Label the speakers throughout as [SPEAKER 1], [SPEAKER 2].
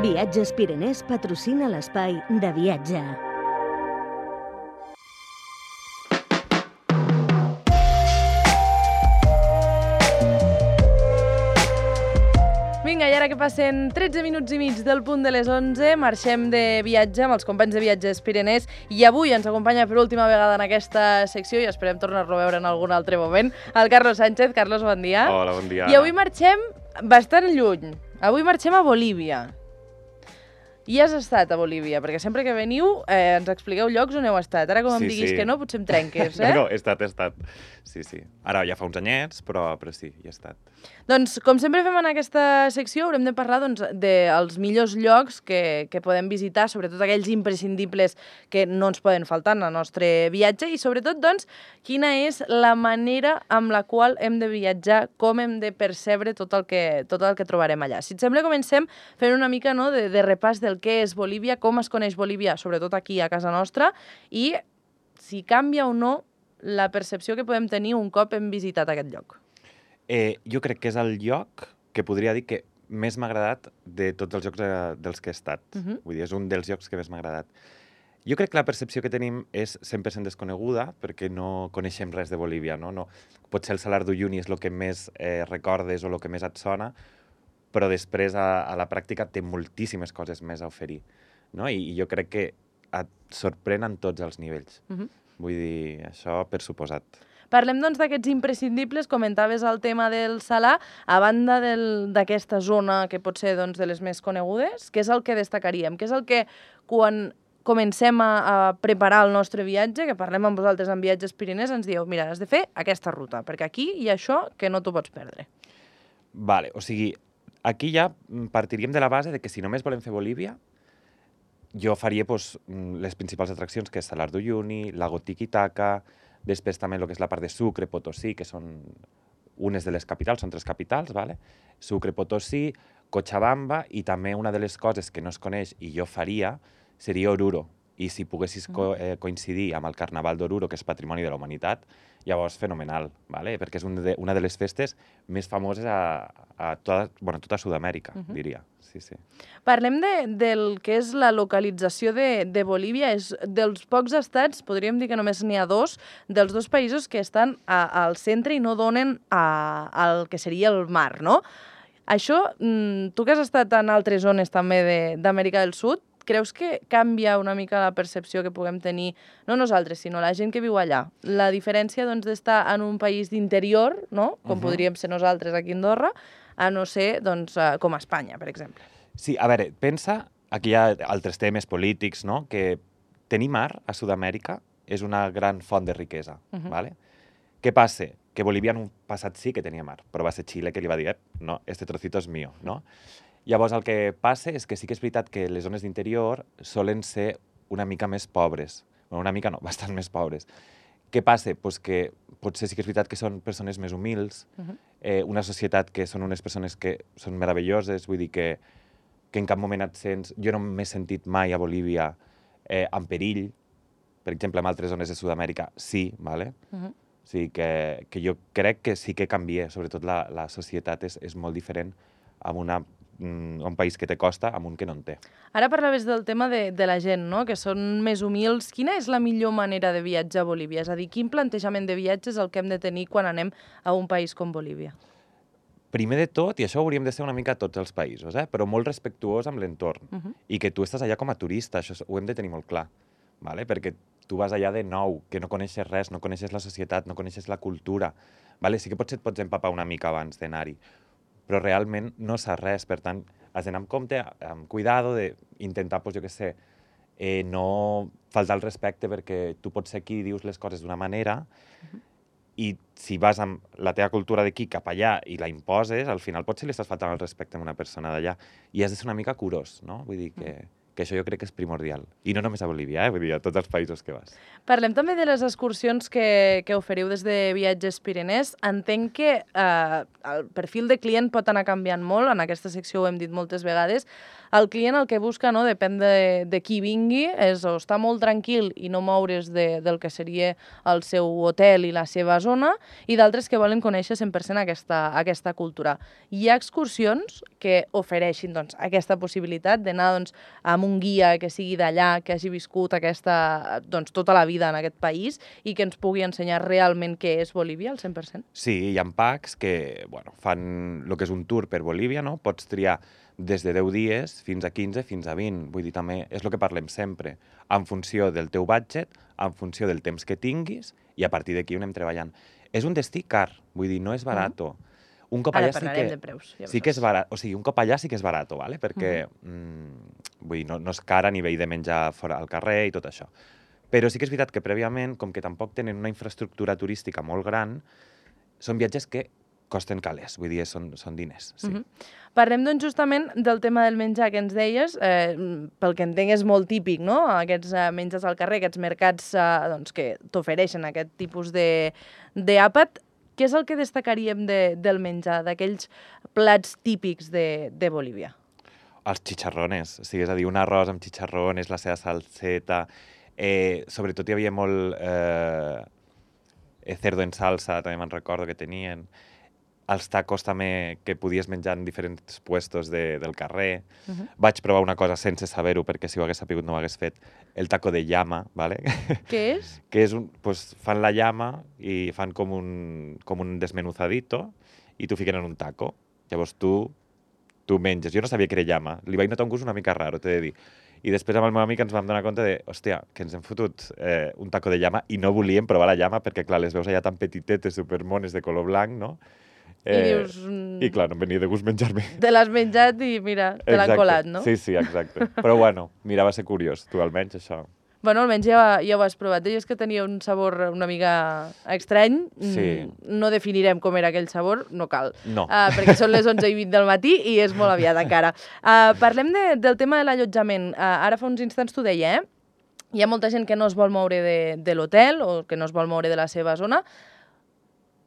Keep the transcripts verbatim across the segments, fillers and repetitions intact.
[SPEAKER 1] Viatges Pirenès patrocina l'espai de viatge.
[SPEAKER 2] Vinga, i ara que passen tretze minuts i mig del punt de les onze, marxem de viatge amb els companys de Viatges Pirenès i avui ens acompanya per última vegada en aquesta secció i esperem tornar-lo a veure en algun altre moment, el Carlos Sánchez. Carlos, bon dia.
[SPEAKER 3] Hola, bon dia.
[SPEAKER 2] I avui marxem bastant lluny. Avui marxem a Bolívia. I has estat a Bolívia, perquè sempre que veniu eh, ens expliqueu llocs on heu estat. Ara, com em
[SPEAKER 3] Sí,
[SPEAKER 2] diguis
[SPEAKER 3] sí.
[SPEAKER 2] que no, potser em trenques, eh?
[SPEAKER 3] No, no, he estat, he estat. Sí, sí. Ara ja fa uns anyets, però, però sí, hi he estat.
[SPEAKER 2] Doncs, com sempre fem en aquesta secció, haurem de parlar doncs, dels millors llocs que, que podem visitar, sobretot aquells imprescindibles que no ens poden faltar en el nostre viatge i, sobretot, doncs, quina és la manera amb la qual hem de viatjar, com hem de percebre tot el que, tot el que trobarem allà. Si et sembla, comencem fent una mica no, de, de repàs del què és Bolívia, com es coneix Bolívia, sobretot aquí a casa nostra, i si canvia o no la percepció que podem tenir un cop hem visitat aquest lloc.
[SPEAKER 3] Eh, jo crec que és el lloc que podria dir que més m'ha agradat de tots els llocs eh, dels que he estat.
[SPEAKER 2] Mhm.
[SPEAKER 3] Vull dir, és un dels llocs que més m'ha agradat. Jo crec que la percepció que tenim és cent per cent desconeguda perquè no coneixem res de Bolívia, no? No, potser el Salar d'Uyuni és el que més eh, recordes o el que més et sona, però després a, a la pràctica té moltíssimes coses més a oferir, no? I, i jo crec que et sorprèn en tots els nivells.
[SPEAKER 2] Mhm.
[SPEAKER 3] Vull dir, això per suposat.
[SPEAKER 2] Parlem, doncs, d'aquests imprescindibles. Comentaves el tema del Salar. A banda del- d'aquesta zona que pot ser doncs, de les més conegudes, què és el que destacaríem? Què és el que, quan comencem a, a preparar el nostre viatge, que parlem amb vosaltres en Viatges Pirenès, ens dieu, mira, has de fer aquesta ruta, perquè aquí hi ha això que no t'ho pots perdre.
[SPEAKER 3] Vale, o sigui, aquí ja mm, partiríem de la base de que si només volem fer Bolívia, jo faria pues, mm, les principals atraccions, que és Salar d'Uyuni, Lago Titicaca, després també el que és la part de Sucre, Potosí, que són unes de les capitals, són tres capitals, vale? Sucre, Potosí, Cochabamba, i també una de les coses que no es coneix i jo faria seria Oruro. I si poguessis co eh, coincidir amb el Carnaval d'Oruro, que és Patrimoni de la Humanitat, llavors fenomenal, vale? Perquè és un de, una de les festes més famoses a, a tota, bueno, tota Sud-amèrica, uh-huh. diria. Sí, sí.
[SPEAKER 2] Parlem de, del que és la localització de, de Bolívia. És dels pocs estats, podríem dir que només n'hi ha dos, dels dos països que estan a, al centre i no donen a, al que seria el mar, no? Això, tu que has estat en altres zones també d'Amèrica del Sud, creus que canvia una mica la percepció que puguem tenir, no nosaltres, sinó la gent que viu allà? La diferència doncs, d'estar en un país d'interior, no? Com uh-huh. podríem ser nosaltres aquí a Andorra, a no ser doncs, com a Espanya, per exemple.
[SPEAKER 3] Sí, a veure, pensa, aquí hi ha altres temes polítics, no? Que tenir mar a Sud-amèrica és una gran font de riquesa, uh-huh. ¿vale? Què passa? Que Bolívia en un passat sí que tenia mar, però va ser Xile que li va dir, no, este trocito és mío, no? Llavors, el que passa és que sí que és veritat que les zones d'interior solen ser una mica més pobres. Bueno, una mica no, bastant més pobres. Què passa? Pues que potser sí que és veritat que són persones més humils, uh-huh. eh, una societat que són unes persones que són meravelloses, vull dir que, que en cap moment et sents... Jo no m'he sentit mai a Bolívia eh, en perill, per exemple, en altres zones de Sud-amèrica sí, ¿vale? Uh-huh. O sigui que, que jo crec que sí que canvia, sobretot la, la societat és, és molt diferent amb una, un país que té costa amb un que no en té.
[SPEAKER 2] Ara parlaves del tema de, de la gent, no? Que són més humils. Quina és la millor manera de viatjar a Bolívia? És a dir, quin plantejament de viatge és el que hem de tenir quan anem a un país com Bolívia?
[SPEAKER 3] Primer de tot, i això hauríem de ser una mica a tots els països, eh? Però molt respectuós amb l'entorn. Uh-huh. I que tu estàs allà com a turista, això ho hem de tenir molt clar. Vale? Perquè tu vas allà de nou, que no coneixes res, no coneixes la societat, no coneixes la cultura. Vale? Sí que potser et pots empapar una mica abans d'anar-hi, però realment no saps res, per tant, has d'anar amb compte, amb cuidado, d'intentar, pues, jo què sé, eh, no faltar el respecte perquè tu pots ser aquí i dius les coses d'una manera uh-huh. i si vas amb la teva cultura d'aquí cap allà i la imposes, al final potser li estàs faltant el respecte a una persona d'allà i has de ser una mica curós, no? Vull dir que, que això jo crec que és primordial. I no només a Bolívia, eh? Vull dir, a tots els països que vas.
[SPEAKER 2] Parlem també de les excursions que, que oferiu des de Viatges Pirinès. Entenc que eh, el perfil de client pot anar canviant molt, en aquesta secció ho hem dit moltes vegades. El client el que busca, no, depèn de, de qui vingui, és o estar molt tranquil i no moure's de, del que seria el seu hotel i la seva zona, i d'altres que volen conèixer cent per cent aquesta, aquesta cultura. Hi ha excursions que ofereixin doncs, aquesta possibilitat d'anar doncs, amb un guia que sigui d'allà, que hagi viscut aquesta, doncs, tota la vida en aquest país i que ens pugui ensenyar realment què és Bolívia al cent per cent?
[SPEAKER 3] Sí, hi ha packs que bueno, fan el que és un tour per Bolívia, no? Pots triar des de deu dies fins a quinze, fins a vint. Vull dir, també és el que parlem sempre, en funció del teu budget, en funció del temps que tinguis, i a partir d'aquí ho anem treballant. És un destí car, vull dir, no és barato. Un cop
[SPEAKER 2] Ara
[SPEAKER 3] allà sí
[SPEAKER 2] parlarem
[SPEAKER 3] que,
[SPEAKER 2] de preus. Ja
[SPEAKER 3] sí que és barat, o sigui, un cop allà sí que és barato, ¿vale? Perquè uh -huh. mm, vull dir, no, no és car a nivell de menjar fora al carrer i tot això. Però sí que és veritat que prèviament, com que tampoc tenen una infraestructura turística molt gran, són viatges que costen calés, vull dir, són, són diners. Sí.
[SPEAKER 2] Uh -huh. Parlem doncs justament del tema del menjar que ens deies, eh, pel que entenc és molt típic, no? Aquests eh, menjars al carrer, aquests mercats eh, doncs, que t'ofereixen aquest tipus d'àpat. Què és el que destacaríem de, del menjar, d'aquells plats típics de, de Bolívia?
[SPEAKER 3] Els chicharrones, o sigui, és a dir, un arròs amb chicharrones, la seva salseta, eh, sobretot hi havia molt eh, cerdo en salsa, també me'n recordo que tenien, els tacos també que podies menjar en diferents puestos de, del carrer. Uh -huh. Vaig provar una cosa sense saber-ho, perquè si ho hagués sapigut no ho hagués fet, el taco de llama, ¿vale?
[SPEAKER 2] Què és?
[SPEAKER 3] Que és un, pues, fan la llama i fan com un, com un desmenuzadito i t'ho fiquen en un taco. Llavors tu, tu menges. Jo no sabia que era llama. Li vaig notar un gust una mica raro, t'he de dir. I després amb el meu amic ens vam donar compte de, hòstia, que ens hem fotut eh, un taco de llama i no volíem provar la llama perquè, clar, les veus allà tan petitetes, supermones, de color blanc, no?
[SPEAKER 2] I
[SPEAKER 3] Eh,
[SPEAKER 2] dius...
[SPEAKER 3] I clar, no em venia de gust menjar-me.
[SPEAKER 2] Te l'has menjat i mira, te l'han colat, no?
[SPEAKER 3] Sí, sí, exacte. Però bueno, mira, va ser curiós, tu almenys això.
[SPEAKER 2] Bueno, almenys ja, ja ho has provat. Deies que tenia un sabor una mica estrany.
[SPEAKER 3] Sí.
[SPEAKER 2] No definirem com era aquell sabor, no cal.
[SPEAKER 3] No.
[SPEAKER 2] Uh, perquè són les onze i vint del matí i és molt aviat encara. Uh, parlem de, del tema de l'allotjament. Uh, ara fa uns instants t'ho deia, eh? Hi ha molta gent que no es vol moure de, de l'hotel o que no es vol moure de la seva zona.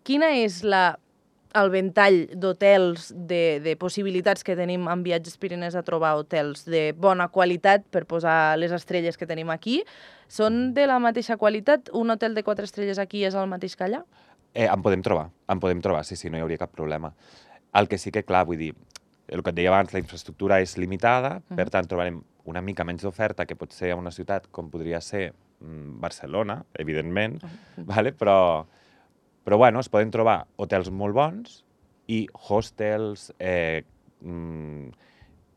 [SPEAKER 2] Quina és la el ventall d'hotels, de, de possibilitats que tenim en Viatges Pirinès a trobar hotels de bona qualitat per posar les estrelles que tenim aquí? Són de la mateixa qualitat? Un hotel de quatre estrelles aquí és el mateix que allà?
[SPEAKER 3] Eh, en podem trobar, en podem trobar, sí, sí, no hi hauria cap problema. El que sí que, clar, vull dir, el que et deia abans, la infraestructura és limitada, uh-huh. Per tant, trobarem una mica menys d'oferta que pot ser a una ciutat com podria ser mm, Barcelona, evidentment, uh-huh. Vale? però... Però, bueno, es poden trobar hotels molt bons i hostels, eh, mm,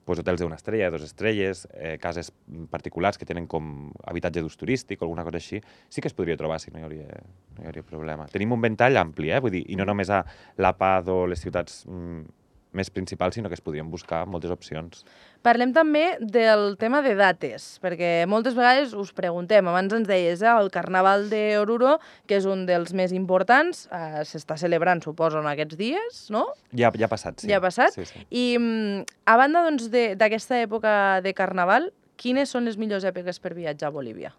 [SPEAKER 3] pues hotels d'una estrella, de dues estrelles, eh, cases particulars que tenen com habitatge d'ús turístic o alguna cosa així. Sí que es podria trobar, si no hi hauria, no hi hauria problema. Tenim un ventall ampli, eh? Vull dir, i no només a La Paz o les ciutats mm, més principals, sinó que es podrien buscar moltes opcions.
[SPEAKER 2] Parlem també del tema de dates, perquè moltes vegades us preguntem, abans ens deies, eh, el Carnaval d'Oruro, que és un dels més importants, eh, s'està celebrant, suposo, en aquests dies, no?
[SPEAKER 3] Ja, ja ha passat, sí.
[SPEAKER 2] Ja ha passat?
[SPEAKER 3] Sí, sí.
[SPEAKER 2] I mm, a banda doncs, d'aquesta època de Carnaval, quines són les millors èpoques per viatjar a Bolívia?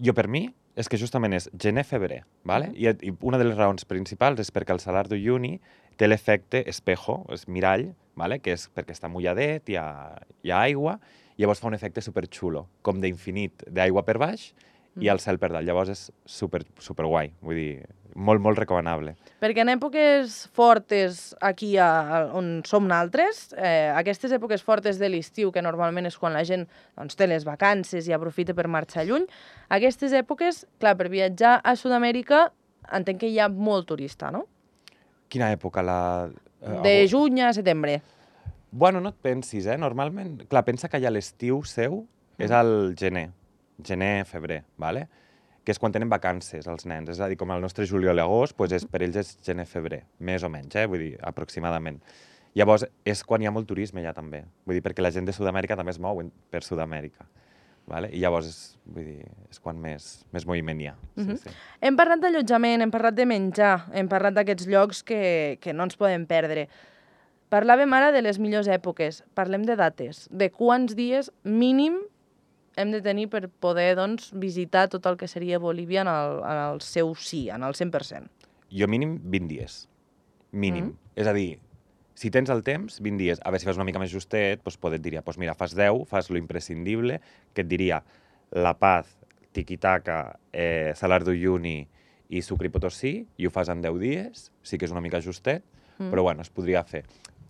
[SPEAKER 3] Jo, per mi, és que justament és gener-febrer, ¿vale? Uh -huh. I, I una de les raons principals és perquè el Salar d'Uyuni té l'efecte espejo, és mirall, ¿vale? Que és perquè està mulladet, hi ha, hi ha aigua, i llavors fa un efecte superxulo, com d'infinit d'aigua per baix i el cel per dalt. Llavors és super, super guai, vull dir, molt, molt recomanable.
[SPEAKER 2] Perquè en èpoques fortes aquí a, on som naltres, eh, aquestes èpoques fortes de l'estiu, que normalment és quan la gent doncs, té les vacances i aprofita per marxar lluny, aquestes èpoques, clar, per viatjar a Sud-amèrica entenc que hi ha molt turista, no?
[SPEAKER 3] Quina època? La...
[SPEAKER 2] De juny a setembre.
[SPEAKER 3] Bueno, no et pensis, eh? Normalment, clar, pensa que allà l'estiu seu és al gener, gener, febrer, ¿vale? Que és quan tenen vacances els nens. És a dir, com el nostre juliol i agost, doncs és, per ells és gener-febrer, més o menys, eh? Vull dir, aproximadament. Llavors, és quan hi ha molt turisme ja també. Vull dir, perquè la gent de Sud-amèrica també es mou per Sud-amèrica. Vale? I llavors és, vull dir, és quan més, més moviment hi ha. Sí,
[SPEAKER 2] Uh-huh.
[SPEAKER 3] sí.
[SPEAKER 2] Hem parlat d'allotjament, hem parlat de menjar, hem parlat d'aquests llocs que, que no ens podem perdre. Parlàvem ara de les millors èpoques, parlem de dates, de quants dies mínim hem de tenir per poder doncs, visitar tot el que seria Bolívia en el, en el seu sí, en el cent per cent?
[SPEAKER 3] Jo mínim vint dies. Mínim. Mm. És a dir, si tens el temps, vint dies. A veure, si fas una mica més justet, doncs poder et diria, doncs mira, fas deu, fas lo imprescindible, que et diria La Paz, Tiquitaca, eh, Salar d'Uyuni i Sucre i Potosí, i ho fas en deu dies, sí que és una mica justet, mm. però bueno, es podria fer.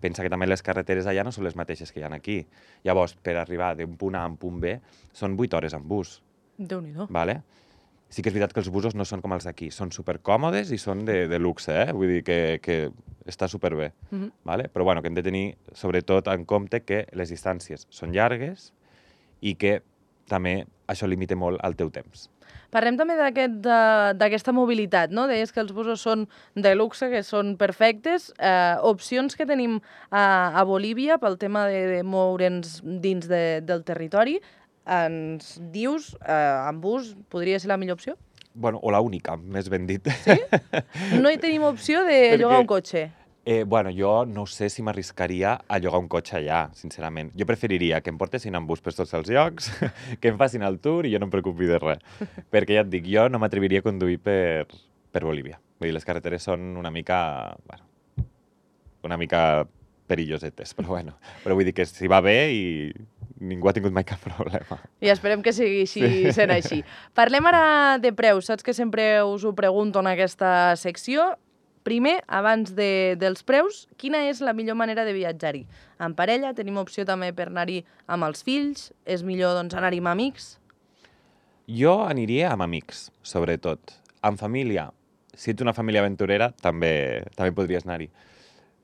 [SPEAKER 3] Pensa que també les carreteres allà no són les mateixes que hi ha aquí. Llavors, per arribar d'un punt A a un punt B, són vuit hores en bus.
[SPEAKER 2] Déu-n'hi-do.
[SPEAKER 3] Vale? Sí que és veritat que els busos no són com els d'aquí, són supercòmodes i són de, de luxe, eh? Vull dir que, que està superbé. Mm-hmm. Vale? Però bueno, que hem de tenir, sobretot, en compte que les distàncies són llargues i que també això limita molt el teu temps.
[SPEAKER 2] Parlem també d'aquesta aquest, mobilitat, no? Deies que els busos són de luxe, que són perfectes. Eh, opcions que tenim a, a Bolívia pel tema de, de moure'ns dins de, del territori. Ens dius, eh, en bus, podria ser la millor opció?
[SPEAKER 3] Bueno, o la única, més ben dit.
[SPEAKER 2] Sí? No hi tenim opció de Perquè... llogar un cotxe?
[SPEAKER 3] Eh, bueno, jo no sé si m'arriscaria a llogar un cotxe allà, sincerament. Jo preferiria que em portessin en bus per tots els llocs, que em facin el tour i jo no em preocupi de res. Perquè ja et dic, jo no m'atreviria a conduir per, per Bolívia. Vull dir, les carreteres són una mica... Bueno, una mica perillosetes, però bueno. Però vull dir que si va bé i ningú ha tingut mai cap problema.
[SPEAKER 2] I esperem que sigui així, sí. sent així. Parlem ara de preus. Saps que sempre us ho pregunto en aquesta secció. Primer, abans de, dels preus, quina és la millor manera de viatjar-hi? En parella, tenim opció també per anar-hi amb els fills? És millor doncs, anar-hi amb amics?
[SPEAKER 3] Jo aniria amb amics, sobretot. En família, si ets una família aventurera, també, també podries anar-hi.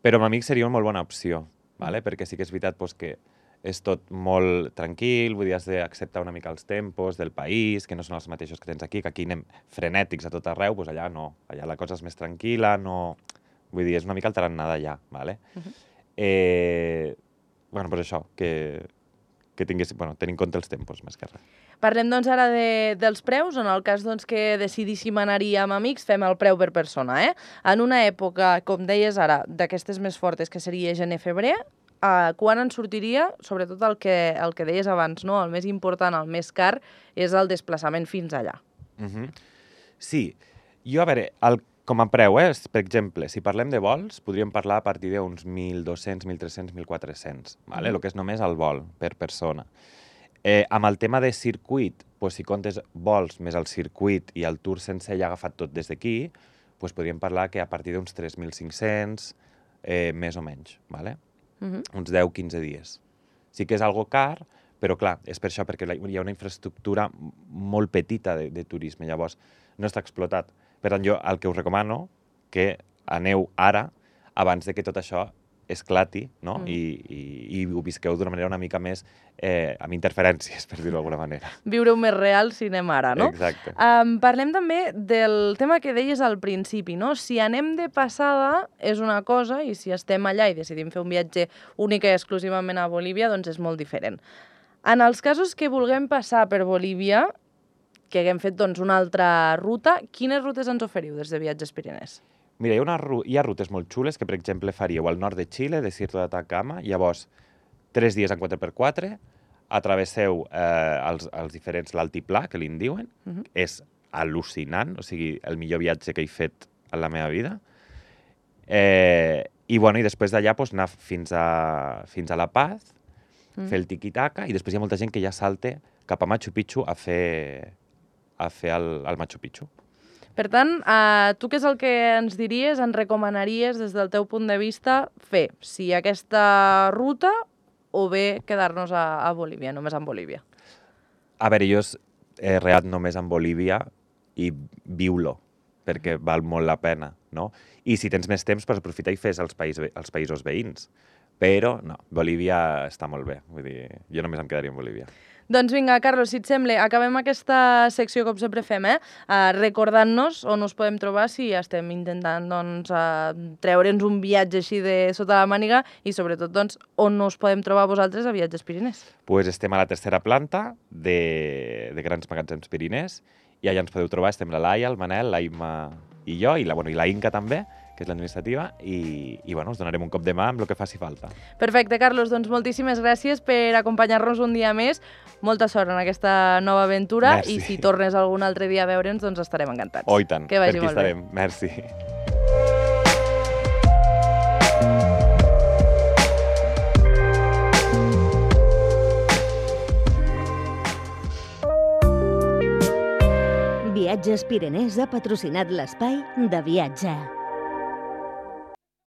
[SPEAKER 3] Però amb amics seria una molt bona opció, ¿vale? Perquè sí que és veritat doncs, que és tot molt tranquil, vull dir, has d'acceptar una mica els tempos del país, que no són els mateixos que tens aquí, que aquí anem frenètics a tot arreu, doncs allà no. Allà la cosa és més tranquil·la, no... Vull dir, és una mica el tarannà d'allà, ¿vale? Uh-huh. eh... Bueno, doncs això, que, que tingués... Bueno, tenir en compte els tempos, més que res.
[SPEAKER 2] Parlem, doncs, ara de, dels preus. En el cas doncs, que decidíssim anar-hi amb amics, fem el preu per persona, eh? En una època, com deies ara, d'aquestes més fortes, que seria gener-febrer, Uh, quan ens sortiria, sobretot el que, el que deies abans, no? El més important, el més car, és el desplaçament fins allà.
[SPEAKER 3] Uh-huh. Sí. Jo, a veure, el, com a preu, eh? Per exemple, si parlem de vols, podríem parlar a partir d'uns mil dos-cents, mil tres-cents, mil quatre-cents, ¿vale? Uh-huh. El que és només el vol per persona. Eh, amb el tema de circuit, pues, si comptes vols més el circuit i el tour sencer ja agafat tot des d'aquí, pues, podríem parlar que a partir d'uns tres mil cinc-cents, eh, més o menys, ¿vale? Uh-huh. Uns deu quinze dies. Sí que és algo car, però clar, és per això, perquè hi ha una infraestructura molt petita de, de turisme, llavors no està explotat. Per tant, jo el que us recomano que aneu ara, abans de que tot això esclati, no? Mm. I, i, i ho visqueu d'una manera una mica més eh, amb interferències, per dir-ho d'alguna manera.
[SPEAKER 2] Viure-ho més real si anem ara, no?
[SPEAKER 3] Exacte.
[SPEAKER 2] Um, parlem també del tema que deies al principi, no? Si anem de passada és una cosa i si estem allà i decidim fer un viatge únic i exclusivament a Bolívia, doncs és molt diferent. En els casos que vulguem passar per Bolívia, que haguem fet doncs, una altra ruta, quines rutes ens oferiu des de Viatges Pirinès?
[SPEAKER 3] Mira, hi ha, una, hi ha rutes molt xules que, per exemple, faríeu al nord de Xile, Desierto de Atacama, llavors, tres dies en quatre per quatre, atravesseu eh, els, els diferents, l'altiplà, que li en diuen, uh-huh. És al·lucinant, o sigui, el millor viatge que he fet en la meva vida. Eh, I, bueno, i després d'allà pues, anar fins a, fins a La Paz, uh-huh. Fer el tiquitaca, i després hi ha molta gent que ja salta cap a Machu Picchu a fer, a fer el, el Machu Picchu.
[SPEAKER 2] Per tant, eh, tu què és el que ens diries, ens recomanaries des del teu punt de vista fer? Si aquesta ruta o bé quedar-nos a, a Bolívia, només en Bolívia?
[SPEAKER 3] A veure, jo he reat només en Bolívia i viu-lo, perquè val molt la pena, no? I si tens més temps, pues, aprofita i fes els, país, els països veïns. Però, no, Bolívia està molt bé. Vull dir, jo només em quedaria en Bolívia.
[SPEAKER 2] Doncs vinga, Carlos, si et sembla, acabem aquesta secció com sempre fem, eh? Uh, recordant-nos on us podem trobar si estem intentant doncs, uh, treure'ns un viatge així de sota la màniga i sobretot doncs, on us podem trobar vosaltres a Viatges Pirinès.
[SPEAKER 3] Pues estem a la tercera planta de, de Grans Magatzems Pirinès i allà ens podeu trobar, estem la Laia, el Manel, la Imma i jo, i la, bueno, i la Inca també, que és l'administrativa, i, i bueno, us donarem un cop de mà amb el que faci falta.
[SPEAKER 2] Perfecte, Carlos, doncs moltíssimes gràcies per acompanyar-nos un dia més. Molta sort en aquesta nova aventura.
[SPEAKER 3] Merci.
[SPEAKER 2] I si tornes algun altre dia a veure'ns, doncs estarem encantats.
[SPEAKER 3] Oh, i tant,
[SPEAKER 2] que vagi
[SPEAKER 3] per aquí
[SPEAKER 2] molt bé.
[SPEAKER 3] estarem. Merci.
[SPEAKER 1] Viatges Pirenès ha patrocinat l'espai de viatge.